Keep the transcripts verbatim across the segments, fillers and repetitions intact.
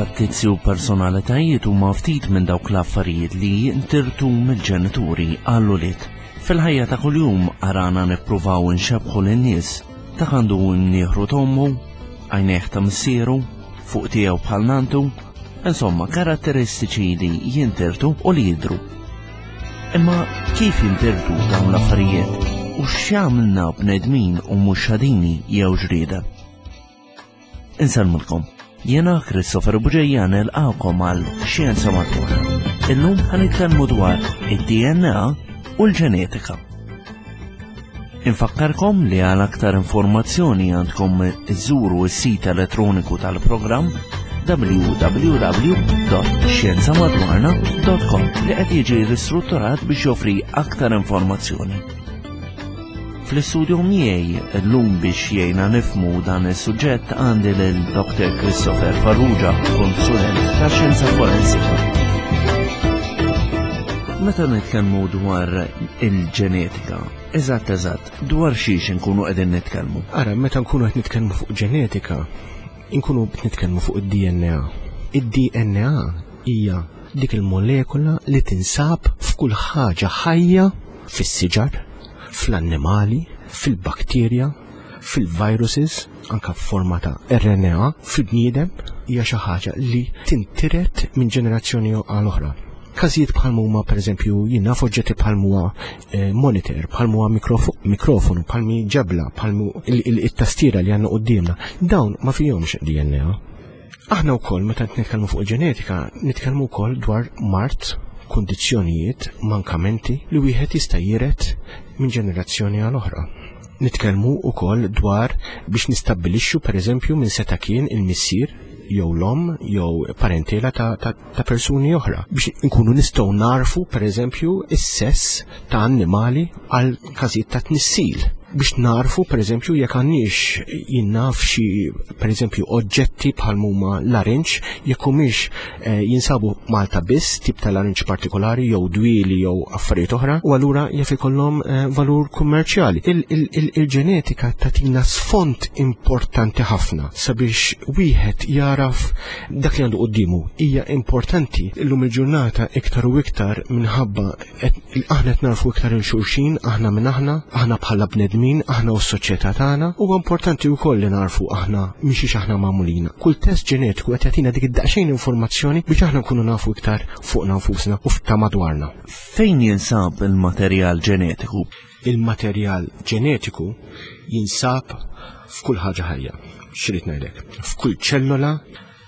Fattizzi u personalitajiet huma ftit minn dawk l-affarijiet li jintirtu mill-ġenituri għall-ulied. Fil-ħajja ta' kuljum arana nippruvaw inxebbħu lin-nies dak għandu mnieħru t'ommu, għajnejh ta' missieru, fuq tiegħu bħal nantu, insomma karatteristiċi li jintirtu u li jidru. Imma kif jintirtu dawn l-affarijiet u x'jagħmilna bnedmin u mhux xadini jew ġrieden? Insellmulkom. Jiena Christopher Bugeja nilqagħkom għal Xjenza Madwarna. Illum ħa nitkellmu dwar id-D N A u l-ġenetika. Infakkarkom li għal aktar informazzjoni għandkom iżuru s-sit elettroniku tal-programm w w w punt xjenzamadwarna punt com li qed jiġi ristrutturat biex joffri aktar informazzjoni. Fl-istudio miegħi llum biex jgħinna nifhmu dan is-suġġett għandi lil Doctor Christopher Farrugia, konsulent ta' xjenza forensika. Meta nitkellmu dwar il-ġenetika, eżatt eżatt, dwar xiex nkunu qegħdin nitkellmu? Ara, meta nkunu qed nitkellmu fuq ġenetika, nkunu qed nitkellmu fuq id-D N A. Id-D N A hija dik il-molekula li tinsab f'kull ħaġa ħajja, fis-siġar, fl-annimali, fil-bakterja, fil-viruses, anka f'forma ta' R N A, fil-bniedem, hija xi ħaġa li tintiret minn ġenerazzjoni għal oħra. Każijiet bħal huma, pereżempju, jien naf, oġġetti bħal huwa eh, monitor, bħal huwa mikrofonu, bħal mi ġebla, bħal it-tastiera li għandna qudiemna, dawn ma fihomx D N A. Aħna wkoll meta nitkellmu fuq il-ġenetika, nitkellmu wkoll dwar mard, kundizzjonijiet, mankamenti li wieħed jista' jiret minn ġenerazzjoni għal oħra. Nitkellmu wkoll dwar biex nistabbilixxu, pereżempju, minn seta' kien il-missier jew l-om jew parentela ta', ta, ta persuni oħra biex nkunu nistgħu narfu, pereżempju, is-sess ta' annimali għal każijiet ta' tnissil, biex narfu, pereżempju, jekk għandniex, jien naf, xi, pereżempju, oġġetti bħal huma larinġ, jekk humiex eh, jinsabu Malta biss, tip ta' larinġ partikolari jew dwieli jew affarijiet oħra, u allura jaf ikollhom eh, valur kummerċjali. Il-ġenetika tagħtina sfond importanti ħafna sabiex wieħed jaraf dak li għandu quddiemu. Hija importanti illum il-ġurnata iktar u iktar minħabba aħna qed narfu iktar lil xulxin, aħna minn aħna, aħna bħala bnedmin, aħna u s-soċjetà tagħna, huwa importanti wkoll li narfu aħna minn xiex aħna magħmulin. Kull test ġenetiku qed jagħtina dik id-daqsxejn informazzjoni biex aħna nkunu nafu iktar fuqna nfusna u ta' madwarna. Fejn jinsab il-materjal ġenetiku? Il-materjal ġenetiku jinsab f'kull ħaġa ħajja. X'irrid ngħidlek? F'kull ċellola,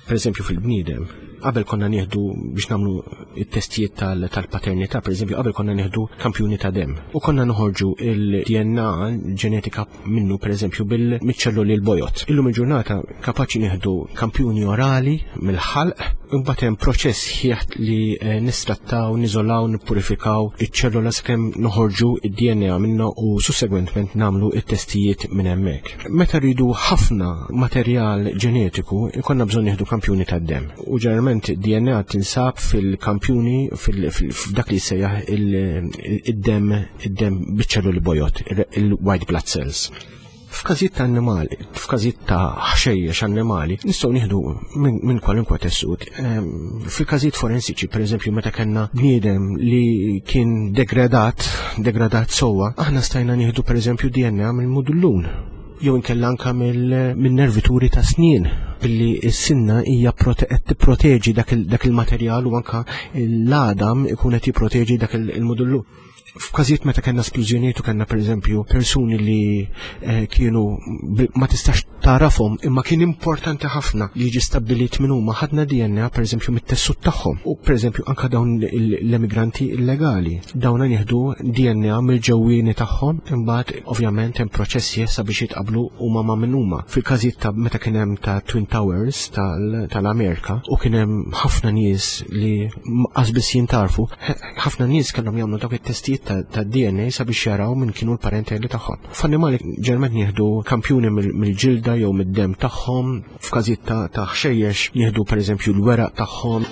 per eżempju fil-bniedem, qabel konna nieħdu biex nagħmlu it-testijiet tal-paternità, per eżempju, qabel konna nieħdu kampjuni ta' dem. U konna noħorġu il-D N A ġenetika minnu, per eżempju, bil-ċelloli l-bojod. Illum il-ġurnata kapaċi nieħdu kampjuni orali mill-ħalq, imbagħad hemm proċess ħieħ li eh, nistrattaw, niżolaw, nippurifikaw iċ-ċellola sakemm noħorġu id-D N A minnu u sussegwentment nagħmlu it-testijiet minn hemmhekk. Meta rridu ħafna materjal ġenetiku, ikonna bżonn nieħdu kampjuni tad-dem. U ġeneralment D N A tinsab fil-kampjuni f'dak li jsejjaħ id-dem id-dem biċ-ċelluli bojod, il-white blood cells. F'każijiet ta' annimali, f'każijiet ta' ħxejjex annimali, nistgħu nieħdu minn kwalunkwe tessut. Fil-każijiet forensiċi, pereżempju, meta kellna bniedem li kien degradat, degradat sewwa, aħna stajna nieħdu, pereżempju, D N A mill-mudullun jew inkella anka mill-nervituri ta' snien, billi s-sinna hija qed tipproteġi dak il-materjal u anka l-għadam ikun qed jipproteġi dak il-mudullu. F'każijiet meta kellna splużjonijiet u kellna, pereżempju, persuni li eh, kienu ma tistax tarafhom imma kien importanti ħafna li jiġi stabbilit minn huma, ħadna D N A, pereżempju, mit-tessut tagħhom u, pereżempju, anka dawn l-emigranti illegali. Dawn nieħdu D N A mill-ġewwieni tagħhom, imbagħad ovvjament hemm proċessi sabiex jitqablu huma ma' minn huma. Fil-każijiet ta' meta kien hemm ta' Twin Towers tal-Amerika u kien hemm ħafna nies li qas biss jintarfu, ħafna nies kellhom jagħmlu dawk it-testijiet ta' D N A sabiex jaraw minn kienu l-parenteli tagħhom. F'annimali ġeneralment nieħdu kampjuni mill-ġilda jew mid-dem tagħhom, f'każijiet ta' ħxejjex nieħdu, pereżempju, l-weraq tagħhom.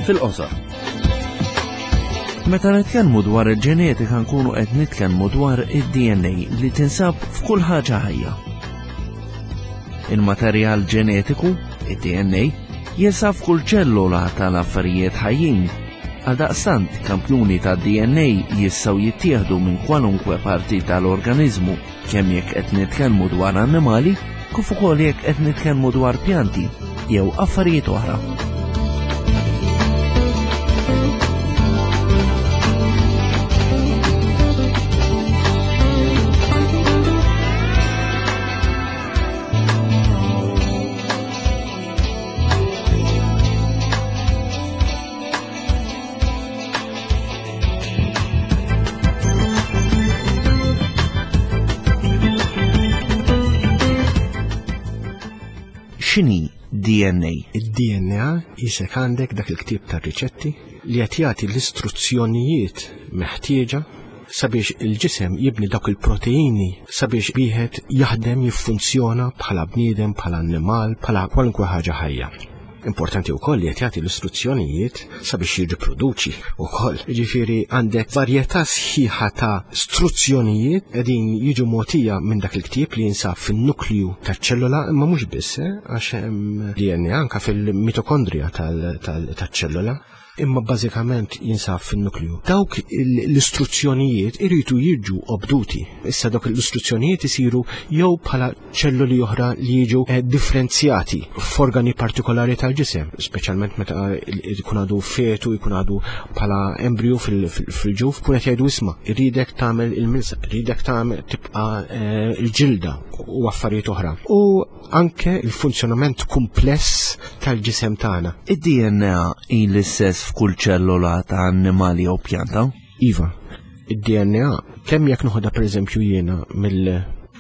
Fil-qosor. Meta nitkellmu dwar il-ġenetika nkunu qed nitkellmu dwar id-D N A li tinsab f'kull ħaġa ħajja. Il-materjal ġenetiku Id-D N A jinsab f'kull ċellola tal-affarijiet ħajjin. Għaldaqstant, kampjuni ta' D N A jistgħu jittieħdu minn kwalunkwe parti tal-organizmu, kemm jekk qed nitkellmu dwar annimali, kif ukoll jekk qed nitkellmu dwar pjanti jew affarijiet oħra. X'inhi D N A? Id-D N A qisek għandek dak il-ktieb tar-riċetti li qed jagħti l-istruzzjonijiet meħtieġa sabiex il-ġisem jibni dawk il-proteini sabiex wieħed jaħdem, jiffunzjona bħala bniedem, bħala annimal, bħala kwalunkwe ħaġa ħajja. Importanti wkoll li qed jagħti l-istruzzjonijiet sabiex jirriproduċi wkoll. Jiġifieri għandek varjetà sħiħa ta' struzzjonijiet qegħdin jiġu mogħtija minn dak il-ktieb li jinsab fin-nuklju taċ-ċellola, imma mhux biss, eh, għax hemm D N A anke fil-mitokondrija tal-ċellola, imma bażikament jinsab fin-nuklju. Dawk l-istruzzjonijiet iridu jiġu obduti. Issa dawk l-istruzzjonijiet isiru jew bħala ċelluli oħra li jiġu eh, differenzjati f'organi partikolari tal-ġisem, speċjalment meta jkun għadu fetu, jkun għadu bħala embriju fil-ġuf, kun qed jgħidu: "Isma', irridek tagħmel il-milsa, irridek tagħmel tibqa' eh, il-ġilda" u affarijiet oħra. U anke il-funzjonament kumpless tal-ġisem tagħna. Id-D N A hi l-istess f'kull ċellola ta' annimali jew pjanta? Iva, id-D N A kemm jekk noħodha, pereżempju, jiena mill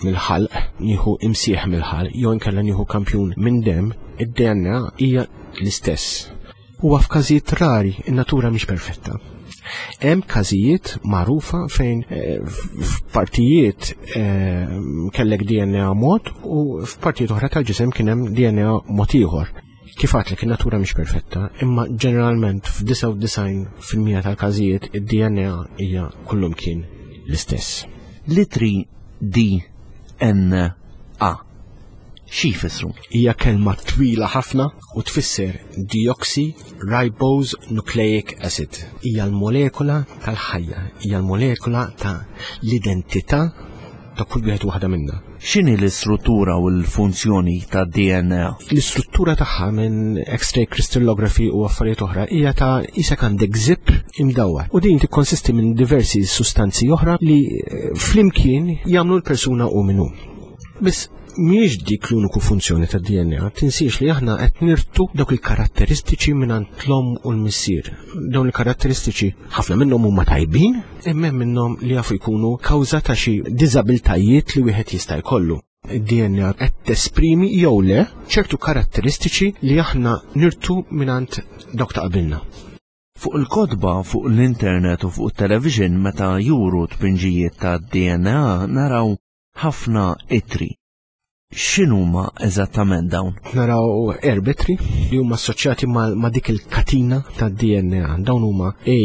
mill-ħalq, nieħu imsieħ mill-ħalq, jew inkella nieħu kampjun minn dem, id-D N A hija l-istess. Huwa f'każijiet rari, in-natura mhix perfetta. Hemm każijiet magħrufa fejn eh, f'partijiet eh, kellek D N A mod u f'partijiet oħra tal-ġisem kien hemm D N A mod ieħor. Kif għedtlek, in-natura mhix perfetta, imma ġeneralment f'disgħa u disgħin fil-mija tal-każijiet id-D N A hija kullum kien l-istess. L-ittri D N A xi jfissru? Hija kelma twila ħafna u tfisser deoxyribose nucleic acid. Hija l-molekula tal-ħajja, hija l-molekula ta' l-identità ta' kull wieħed waħda minna. X'inhi l-istruttura u l-funzjoni ta' D N A? L-istruttura tagħha minn X-ray crystallography u affarijiet oħra hija ta' qisek għandek zip imdawwar. U din tikkonsisti minn diversi sustanzi oħra li eh, flimkien jagħmlu l-persuna u minnu. Biss mhijiex dik l-uniku funzjoni ta' D N A, tinsiex li aħna qed nirtu dawk il-karatteristiċi minn l-omm u l-missier. Dawn il-karatteristiċi ħafna minnhom huma tajbin, imma hemm minnhom li jafu jkunu kawża ta' xi diżabiltajiet li wieħed jista' jkollu. Id-D N A qed tesprimi jew le ċertu karatteristiċi li aħna nirtu mingħand dawk ta' qabilna. Fuq il-kotba, fuq l-internet u fuq il-television meta juru tpinġijiet ta' D N A naraw ħafna ittri. X'inhuma eżattament dawn? Naraw erba' ittri li huma assoċjati ma', ma dik il-katina ta' D N A. Dawn huma A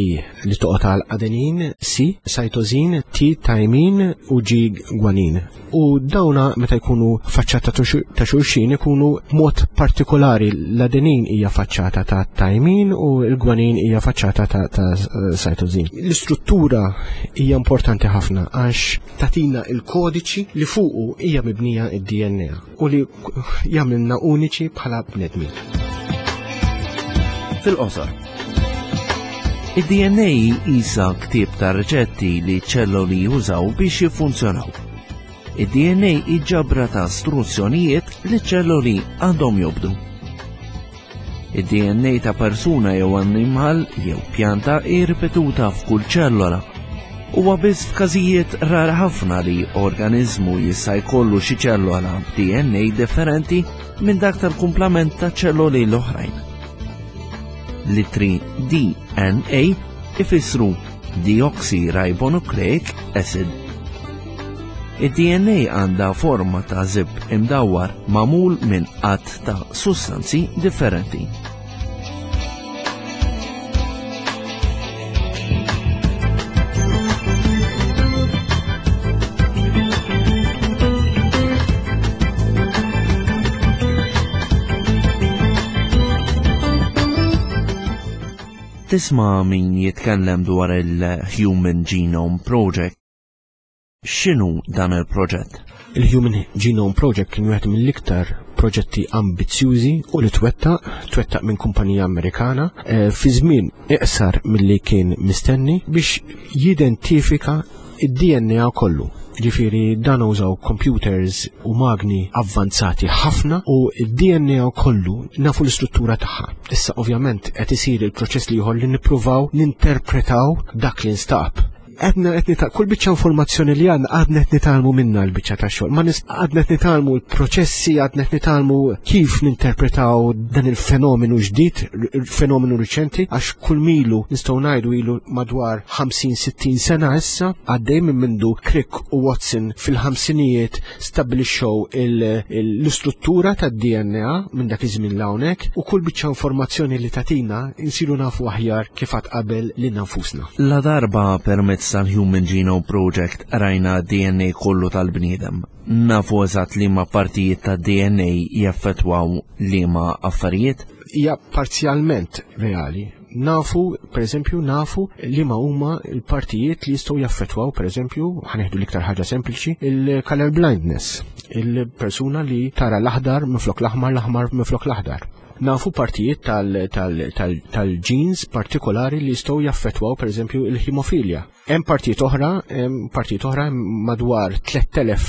li toqgħod għal adenin, C cytosine, T thymine u G guanine. U dawna meta jkunu faċċata ta' xulxin ikunu mod partikolari, l-adenin hija faċċata ta' thymine u l-guanine hija faċċata ta', ta cytosine. L-istruttura hija importanti ħafna għax tagħtina il-kodiċi li fuqu hija mibnija id-D N A u li jagħmilna uniċi bħala bnedmin. Fil-qosor. Id-D N A qisha ktieb ta' riċetti li ċelloli jużaw biex jiffunzjonaw. Id-D N A ġabra ta' istruzzjonijiet li ċelloli għandhom jobdu. Id-D N A ta' persuna jew annimal jew pjanta hi ripetuta f'kull ċellola. Huwa biss f'każijiet rar ħafna li organizmu jista' jkollu xi ċellola b'D N A differenti minn dak tal-kumplament ta' ċelloli l-oħrajn. L-ittri D N A ifissru deoxyribonucleic acid. Id-D N A għandha forma ta' zip imdawwar magħmul minn għadd ta' sustanzi differenti. Tisma' min jitkellem dwar il-Human Genome Project. X'inhu dan il-proġett? Il-Human Genome Project kien wieħed mill-iktar proġetti ambizzjużi u li twettaq, twettaq minn kumpanija Amerikana eh, fi żmien iqsar milli kien mistenni biex jidentifika id-D N A kollu. Ġifieri dan użaw computers u magni avvanzati ħafna u id-D N A kollu nafu l-istruttura tagħha. Issa ovvjament qed isir il-proċess li ieħor li nippruvaw ninterpretaw dak li nstab. Għadna qed nita kull biċċa informazzjoni li għandna, għadna qed nitgħallmu minna l-biċċa ta' xogħol. Ma nis għadna qed nitgħallmu l-proċessi, għadna qed nitgħallmu kif ninterpretaw dan il-fenomenu ġdid, il-fenomenu riċenti, għax kull milu nistgħu ngħidu ilu madwar ħamsin sittin sena issa għaddej minn mindu Crick u Watson fil-ħamsinijiet stabbilixxew l-istruttura tad-D N A. Minn dak iż-żmien hawnhekk u kull biċċa informazzjoni li tatina insiru nafu aħjar kif qatt qabel lilna nfusna. La darba permezz tal-Human Genome Project rajna D N A kollu tal-bniedem, nafu eżatt liema partijiet ta' D N A jaffettwaw liema affarijiet? Hija parzjalment reali. Nafu, per eżempju, nafu li ma huma l-partijiet li jistgħu jaffettwaw, per eżempju, ħa nieħdu l-iktar ħaġa sempliċi, il-color blindness, il-persuna li tara l-aħdar minflok l-aħmar, l-aħmar minflok l-aħdar. Nafu partijiet tal-genes partikolari li jistgħu jaffettwaw, per eżempju, il-hemofilja. Hemm partijiet oħra, hemm partijiet oħra, madwar tliet elef,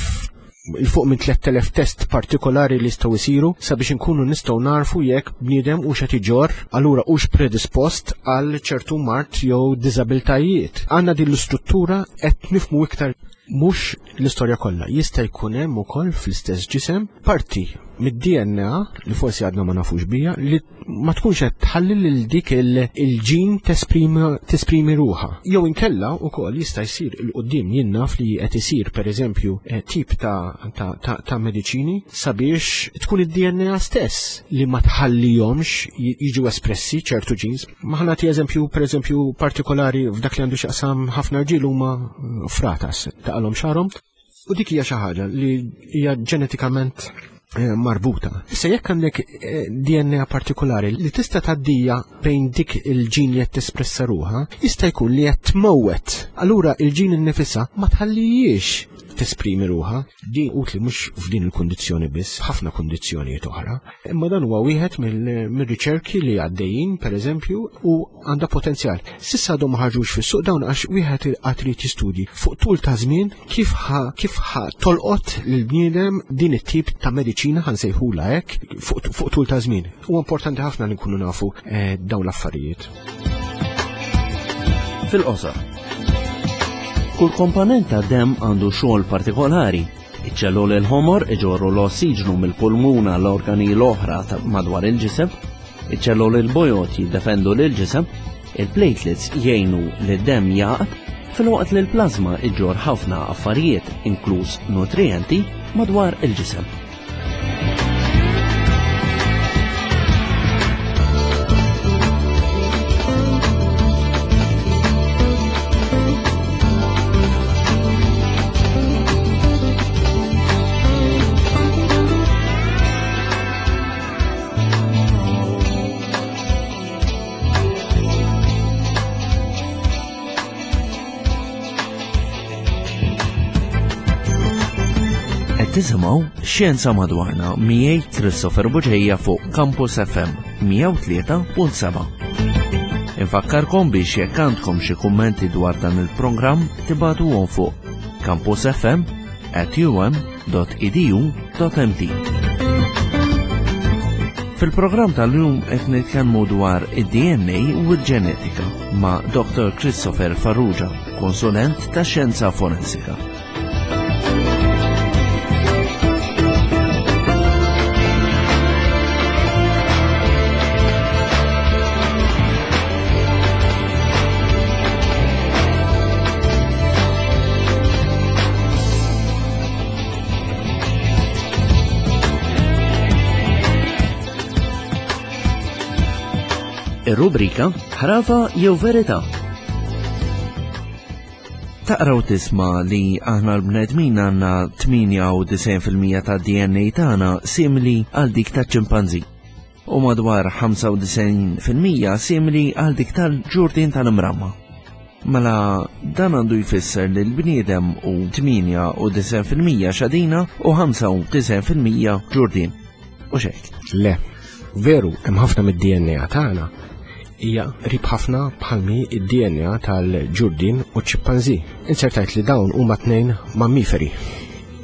il fuq minn tliet elef test partikolari li jistgħu jsiru sabiex inkunu nistgħu narfu jekk bniedem hux qed iġorr, allura hux predispost għal ċertu mard jew diżabiltajiet. Għandna din l-istruttura, qed nifhmu iktar, mhux l-istorja kollha. Jista' jkun hemm ukoll fl-istess ġisem parti mid-D N A li forsi għadna ma nafux bija li ma tkunx qed tħalli lil dik il-ġin tesprimi ruħha. Jew inkella wkoll jista' jsir 'il quddiem, jien naf li qed isir, pereżempju, eh, tip ta', ta, ta, ta mediċini sabiex tkun id-D N A stess li ma tħallihomx jiġu espressi ċertu ġins. Ma ħa nagħti eżempju, pereżempju, partikolari f'dak li għandu x'jaqsam ħafna rġiel huma fratas taqalhom xagħarhom. U dik hija xi ħaġa li hija ġenetikament eh, marbuta. Issa jekk għandek eh, D N A partikolari li tista' tgħaddija bejn dik il-ġin li qed tespressa ruħha, jista' jkun li qed tmowwet. Allura il-ġin innifisha ma tħallijiex tesprimi ruħha. Din utli mhux f'din il-kundizzjoni biss, ħafna kundizzjonijiet oħra. Imma dan huwa wieħed mill-riċerki li għaddejjin, pereżempju, u għandha potenzjal. S'issa għadhom ma ħarġux fis-suq dawn għax wieħed għad irid jistudji fuq tul ta' żmien kif ħa kif ħa tolqot lill-bniedem din it-tip ta' mediċina, ħa nsejħulha hekk, fuq tul ta' żmien. Huwa importanti ħafna li nkunu nafu eh, dawn l-affarijiet. Fil-qosor. Kull komponent ta' dem għandu xogħol partikolari. Iċ-ċelluli l-ħomor iġorru l-ossiġnu mill-pulmuna l-organi l-oħra madwar il-ġisem, iċ-ċelluli l-bojod jiddefendu l-ġisem, il-platelets jgħinu li d-dem jaqt, filwaqt li l-plazma iġorr ħafna affarijiet, inkluż nutrienti, madwar il-ġisem. Tisimgħu Xjenza Madwarna miegħi Christopher Buġeja fuq Campus F M mija u tlieta punt seba'. Infakkarkom biex jekk għandkom xi kummenti dwar dan il-programm tibagħtuhom fuq campusfm at um dot edu dot M T. Fil-programm tal-lum qed nitkellmu dwar id-D N A u l-ġenetika ma' Doctor Christopher Farrugia, konsulent ta' xjenza forensika. Ir-rubrika Ħrafa jew Verità. Taqraw tisma' li aħna l-bnedmin għandna tmienja u disgħin fil-mija ta' D N A tagħna simili għal dik ta' ċimpanzi. u madwar ħamsa u disgħin fil-mija simili għal dik tal-ġurdien tal-imramma. Mela dan għandu jfisser li l-bniedem u tmienja u disgħin fil-mija xadina u ħamsa u disgħin fil-mija ġurdien. U xejn. Le, veru, hemm ħafna mid-D N A tagħna hija qrib ħafna bħalmi id-D N A tal-ġurdien u ċ-ċimpanżi. Insertajt li dawn huma tnejn mammiferi.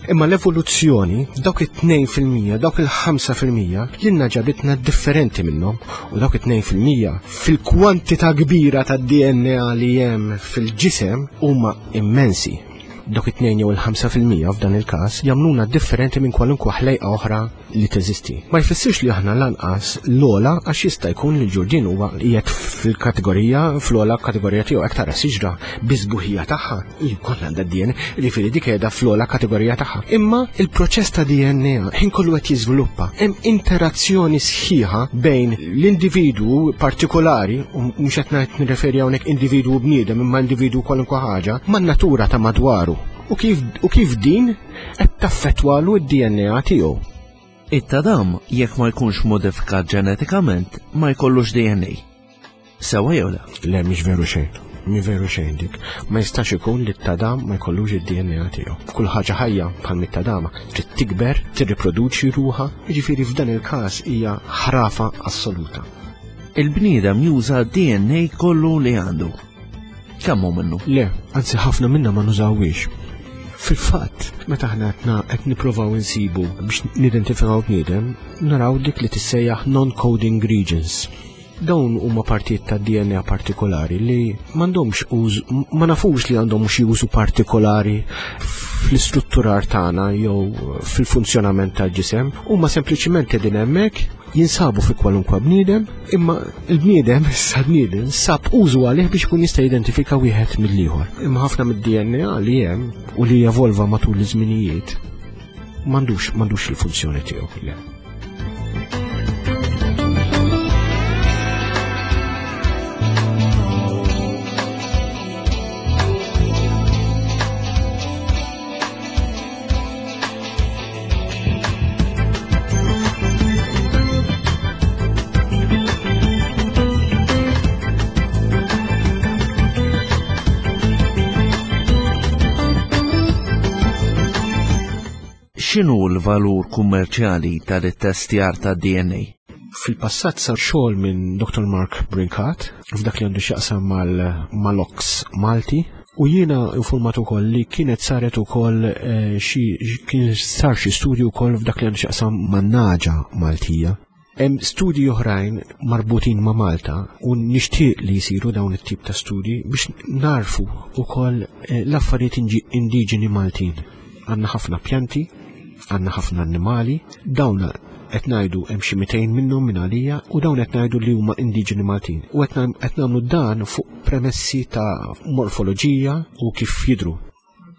Imma l-evoluzzjoni, dawk it-tnejn fil-mija, dawk il-ħamsa fil-mija, lilna ġabitna differenti minnhom, u dawk it-tnejn fil-mija fil-kwantità kbira tad-D N A li hemm fil-ġisem huma immensi. Dawk it-tnejn jew il-ħamsa fil-mija f'dan il-każ jagħmluna differenti minn kwalunkwe ħlejqa oħra li teżisti. Ma jfissirx li aħna lanqas l-ogħla, għax jista' jkun li l-ġurdien huwa qiegħed fil-kategorija, fl-ogħla kategorija tiegħu, hekk tara siġra biżbuħija tagħha, hi wkoll għandha D N A, jiġifieri dik qiegħda fl-ogħla kategorija tagħha. Imma il-proċess ta' D N A ħin kollu qed jiżviluppa, hemm interazzjoni sħiħa bejn l-individwu partikolari, u mhux qed ngħid nirreferi hawnhekk individwu bniedem imma individwu kwalunkwe ħaġa, man-natura ta' madwaru. U kif, u kif din qed taffettwalu d-D N A tiegħu. It-tadam, jekk ma jkunx modifikat ġenetikament, ma jkollux D N A. Sewa jew le? Le, mhix veru xejn. Mhi veru xejn dik. Ma jistax ikun li t-tadam ma jkollux id-D N A tiegħu. Kull ħaġa ħajja bħal mit-tadama trid tikber, tirriproduċi ruha, jiġifieri f'dan il-każ hija ħrafa assoluta. Il-bniedem juża D N A kollu li għandu. Kemm hu minnu? Le, anzi ħafna minna ma nużawhiex. Fil-fatt, meta aħna qed na-, qed nippruvaw insibu biex nidentifikaw bniedem, naraw dik li tissejjaħ non-coding regions. Dawn huma partijiet ta' D N A partikolari li m'għandhomx użu, ma nafux li għandhom xi użu partikolari fl-istrutturar tagħna jew fil-funzjonament tal-ġisem, huma sempliċiment qegħdin hemmhekk, jinsabu fi kwalunkwe bniedem, imma l-bniedem, issa bniedem, sab użu għalih biex ikun jista' jidentifika wieħed mill-ieħor. Imma ħafna mid-D N A li hemm u li jevolva matul iż-żminijiet m'għandux, m'għandux il-funzjoni tiegħu. Le. X'inhu l-valur kummerċjali tal-ittestjar ta' D N A? Fil-passat sar xogħol minn Doktor Mark Brincat f'dak li għandu x'jaqsam mal-, mal-Ox Malti, u jiena informat ukoll li kienet saret ukoll, eh, xi, kien sar xi studju wkoll f'dak li għandu x'jaqsam man-naġa Maltija. Hemm studji oħrajn marbutin ma' Malta u nixtieq li jsiru dawn it-tip ta' studji biex narfu ukoll, eh, l-affarijiet inġi-, indiġeni Maltin. Għandna ħafna pjanti, għandna ħafna annimali, dawn qed ngħidu hemm xi mitejn minnhom minn għalija u dawn qed ngħidu li huma indiġeni Maltin. U qed nagħm-, qed nagħmlu dan fuq premessi ta' morfoloġija u kif jidhru.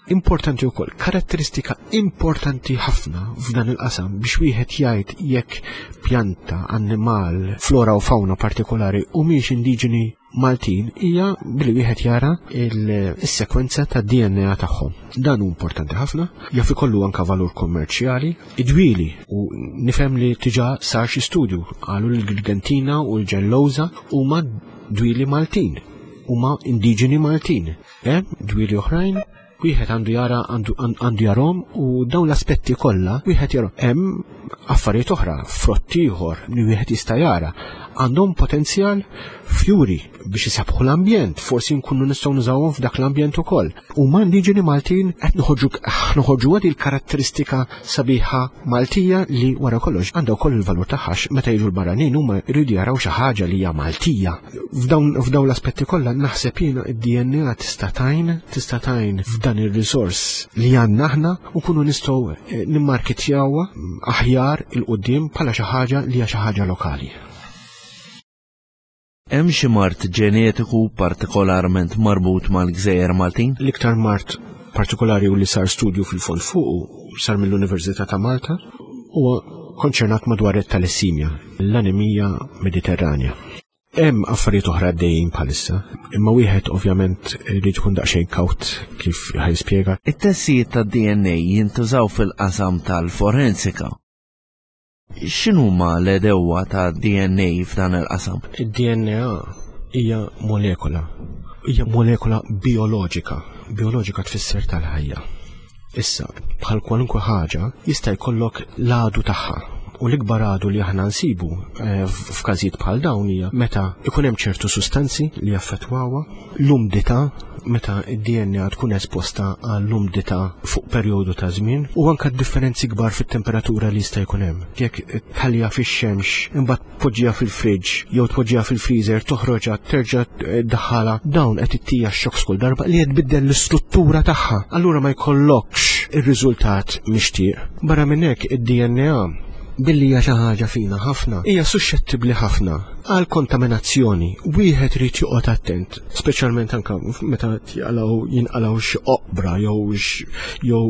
Importanti wkoll, karatteristika importanti ħafna f'dan il-qasam biex wieħed jgħid jekk pjanta, annimal, flora u fauna partikolari u mhix indiġeni Maltin hija billi wieħed jara il-, is-sekwenza ta' D N A tagħhom. Dan hu importanti ħafna, jaf ikollu anka valur kommerċjali, idwili, u nifhem li diġà sar xi studju qalu li l-Grigentina u l-Ġelloża huma dwieli Maltin, huma indiġeni Maltin. Hemm dwieli oħrajn wieħed għandu jara, għandu, għandu jarhom u dawn l-aspetti kollha wieħed jarhom. Hemm affarijiet oħra, frott ieħor li wieħed jista' jara, għandhom potenzjal fjuri biex isabbħu l-ambjent, forsi nkunu nistgħu nużawhom f'dak l-ambjent ukoll. U ma indiġeni Maltin qed noħorġu, noħorġu għad il-karatteristika sabiħa Maltija li wara kollox għandha wkoll il-valur tagħha għax meta jiġu l-barranin huma jridu jaraw xi ħaġa li hija Maltija. F'dawn, f'dawn l-aspetti kollha naħseb jiena id-D N A tista' tgħin, tista' tgħin f'dan ir-riżors li għandna aħna u nkunu nistgħu, eh, nimmarketjawha aħjar il-qudiem bħala xi ħaġa li hija xi ħaġa lokali. Hemm xi mard ġenetiku partikolarment marbut mal-Gżejjer Maltin? L-iktar mard partikolari u li sar studju fil-fond fuqu sar mill-Università ta' Malta huwa konċernat madwar it-talassemia, l-anemija Mediterranja. Hemm affarijiet oħra għaddejjin bħalissa, imma wieħed ovvjament irid ikun daqsxejn kawt kif ħajspjega. It-testijiet tad-D N A jintużaw fil-qasam tal-forensika. X'inhuma l-għedewwa ta' D N A f'dan il-qasam? Id-D N A hija molekola. Hija molekola bioloġika. Bioloġika tfisser tal-ħajja. Issa, bħal kwalunkwe ħaġa, jista' jkollok l-għadu tagħha. U l-ikbar għadu li aħna nsibu eh, f'każijiet bħal dawn hija meta ikun hemm ċertu sustanzi li jaffettwawha, l-umdità, meta id-D N A tkun esposta għall-umdità fuq perjodu ta' żmien, u anka differenzi kbar fit-temperatura li jista' jkun hemm. Jekk tħalliha fix-xemx, imbagħad tpoġġiha fil-fridge jew tpoġġiha fil-freezer, toħroġha, terġa' ddaħħalha, dawn qed ittija shocks kull darba li qed tbiddel l-istruttura tagħha. Allura ma jkollokx ir-riżultat mixtieq. Barra minn hekk, id-D N A, billi hija xi ħaġa fina ħafna, hija suxxettibbli ħafna għal kontaminazzjoni. Wieħed irid joqgħod attent, speċjalment anke meta jaqalgħu jinqalgħu xi oqbra jew jew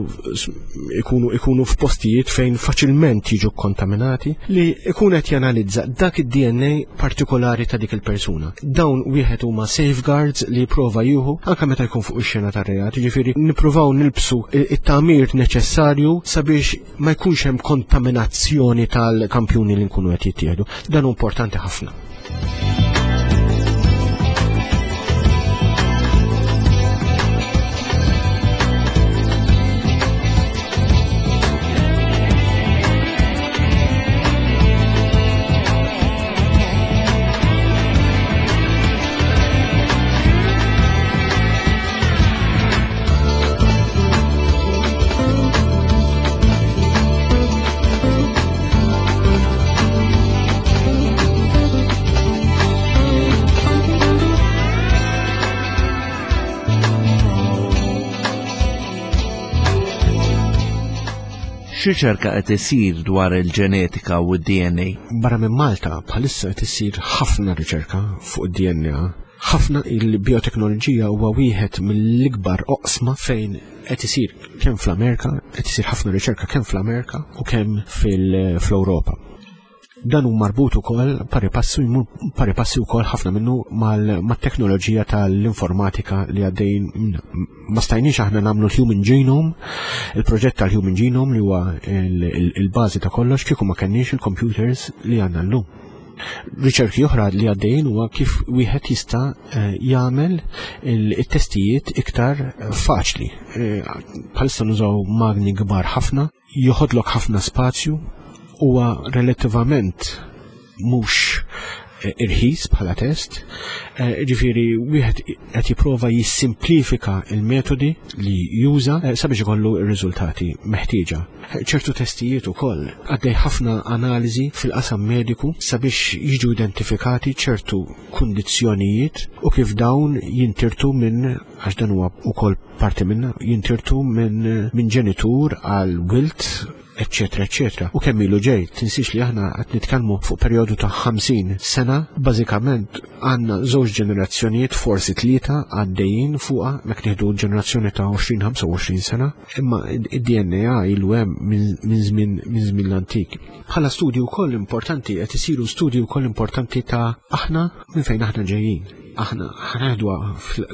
ikunu ikunu f'postijiet fejn faċilment jiġu kontaminati, li ikun qed janalizza dak id-D N A partikolari ta' dik il-persuna. Dawn wieħed huma safeguards li jipprova jieħu anke meta jkun fuq ix-xena tar-reat, jiġifieri nippruvaw nilbsu it-tagħmir neċessarju sabiex ma jkunx hemm kontaminazzjoni tal-kampjuni li nkunu qed jittieħdu. Dan hu importanti ħafna. X'riċerka qed isir dwar il-ġenetika u d-D N A? Barra minn Malta, bħalissa qed isir ħafna riċerka fuq id-D N A. Ħafna. Il-bioteknoloġija huwa wieħed mill-ikbar oqsma fejn qed isir kemm fl-Amerika, qed isir ħafna riċerka kemm fl-Amerika u kemm fil-Ewropa. Dan hu marbut ukoll pari passu jmur pari passi wkoll ħafna minnu mat-teknoloġija tal-informatika li għaddejn. Ma stajniex aħna nagħmlu l-Human Genome, il-proġett tal-Human Genome li huwa il-bażi ta' kollox, kieku ma kenniex il-computers li għandna llum. Riċerki oħra li għaddejn huwa kif wieħed jista' eh, jagħmel it-testijiet iktar faċli. Eh, bħalissa nużaw magni kbar ħafna, joħodlok ħafna spazju, huwa relattivament mhux eh, irħis bħala test, eh, ġifieri wieħed qed jipprova jissimplifika il-metodi li juża eh, sabiex ikollu r-riżultati meħtieġa. Ċertu testijiet ukoll, għaddej ħafna analiżi fil-qasam mediku sabiex jiġu identifikati ċertu kundizzjonijiet u kif dawn jintirtu minn, għax dan huwa ukoll parti minna, jintirtu minn min ġenitur għal wild, eccetera, eccetera. U kemm ilu ġej, tinsiex li aħna qed nitkellmu fuq perjodu ta' ħamsin sena, bażikament għandna żewġ ġenerazzjonijiet, forsi tlieta, għaddejjin fuqha, mek nieħdu ġenerazzjoni ta' għoxrin ħamsa u għoxrin sena, imma id-D N A ilu hemm minn żmien minn żmien l-antik. Bħala studju wkoll importanti, qed isiru studju wkoll importanti ta' aħna minn fejn aħna ġejjin. Aħna ħa ngħidu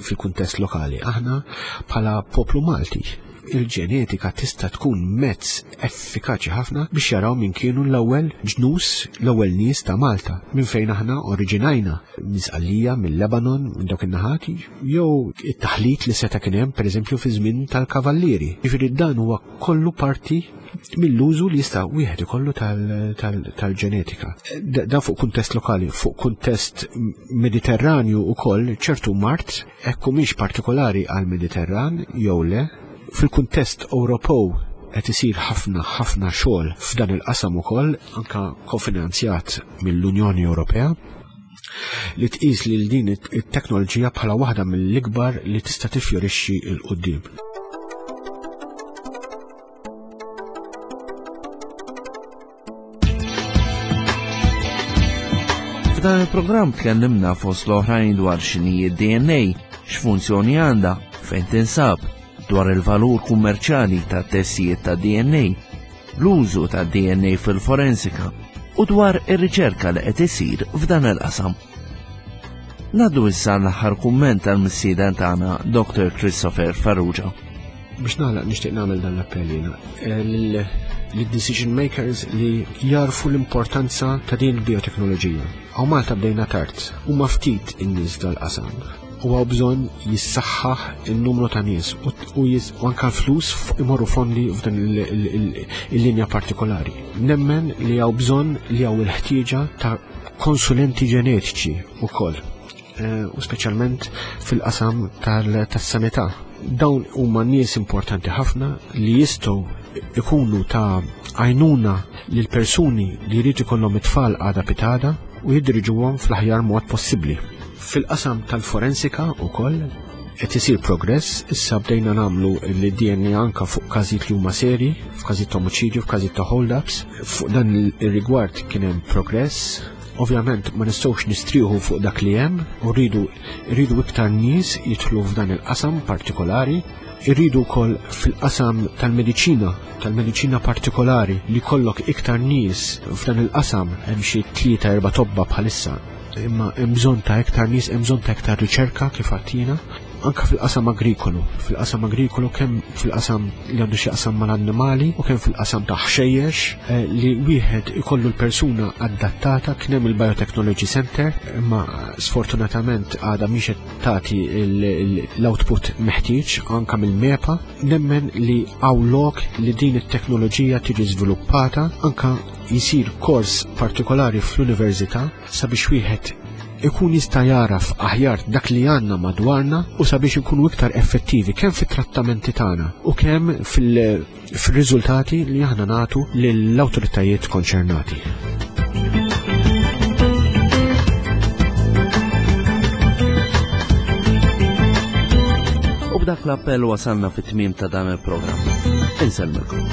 fil-kuntest lokali, aħna bħala poplu Malti, il-ġenetika tista' tkun mezz effikaċi ħafna biex jaraw min kienu l-ewwel ġnus, l-ewwel nies ta' Malta, minn fejn aħna oriġinajna, minn Sqallija, mill-Lebanon, minn dawk in-naħati, jew it-taħlit li seta' kien hemm, pereżempju, fi żmien tal-kavallieri. Jiġifieri dan huwa kollu parti mill-użu li jista' wieħed ikollu tal-ġenetika. Dan fuq kuntest lokali, fuq kuntest Mediterranju ukoll, ċertu mard, hekk mhix partikolari għal-Mediterran jew le, fil-kuntest Ewropew qed isir ħafna ħafna xogħol f'dan il-qasam ukoll, anka kofinanzjat mill-Unjoni Ewropea, li tqis li din it-teknoloġija bħala waħda mill-ikbar li tista' tifjorixxi 'l quddiem. F'dan il-programm tkellimna fost l-oħrajn dwar x'inhi D N A, x'funzjoni għandha, fejn tinsab, dwar il-valur kummerċjali ta' testijiet ta' D N A, l-użu ta' D N A fil-forensika u dwar ir-riċerka li qed isir f'dan il-qasam. Ngħaddu issa l-aħħar kumment tal-mistieden tagħna, Doctor Christopher Farrugia. Biex nagħlaq nixtieq nagħmel dan l-appell jiena lid-decision makers li jarfu l-importanza ta' din il-bioteknoloġija. Hawn Malta bdejna tard, huma ftit in-nies dal-qasam. U hawn bżonn jissaħħaħ il-numru ta' nies u anka l-flus imorru fondi f'dan il-linja partikolari. Nemmen li hawn bżonn li hawn il-ħtieġa ta' konsulenti ġenetiċi wkoll, u speċjalment fil-qasam tas-sanità. Dawn huma nies importanti ħafna li jistgħu ikunu ta' għajnuna lil persuni li jridu jkollhom it-tfal għada pitgħada u jiddiriġuhom fl-aħjar mod possibbli. Fil-qasam tal-forensika wkoll qed isir progress, issa bdejna nagħmlu l-D N A anka fuq każijiet li huma seri, f'każijiet ta' omiċidju, f'każijiet ta' hold-ups. Fuq dan ir-rigward kien hemm progress. Ovvjament ma nistgħux nistrieħu fuq dak li hemm u rridu rridu iktar nies jidħlu f'dan il-qasam partikolari. Irridu wkoll fil-qasam tal-mediċina, tal-mediċina partikolari li jkollok iktar nies f'dan il-qasam. Hemm xi tlieta erba' tobba bħalissa, imma hemm bżonn ta' iktar nies, hemm bżonn ta' iktar riċerka kif għedtilna. Anka fil-qasam agrikolu, fil-qasam agrikolu kemm fil-qasam li għandu xi qasam mal-annimali u kemm fil-qasam ta' ħxejjex, eh, li wieħed ikollu l-persuna adattata. Kien hemm il-Biotechnology Center, imma sfortunatament għadha mhix qed tagħti l-output meħtieġ anka mill-MEPA. Nemmen li hawn lok li din it-teknoloġija tiġi żviluppata, anka jisir kors partikolari fl-università sabiex wieħed ikun jista' jaraf aħjar dak li għandna madwarna u sabiex ikunu iktar effettivi kemm fit-trattamenti tagħna u kemm fil-riżultati li aħna nagħtu lill-awtoritajiet konċernati. U b'dak l-appell wasalna fit-tmiem ta' dan il-programm. Insellmilkom.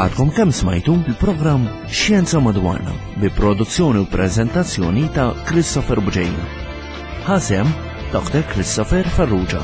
Għadkom kemm smajtu il-programm Xjenza Madwarna bi produzzjoni u prezentazzjoni ta' Christopher Bugeja. Ħasem Doctor Christopher Farrugia.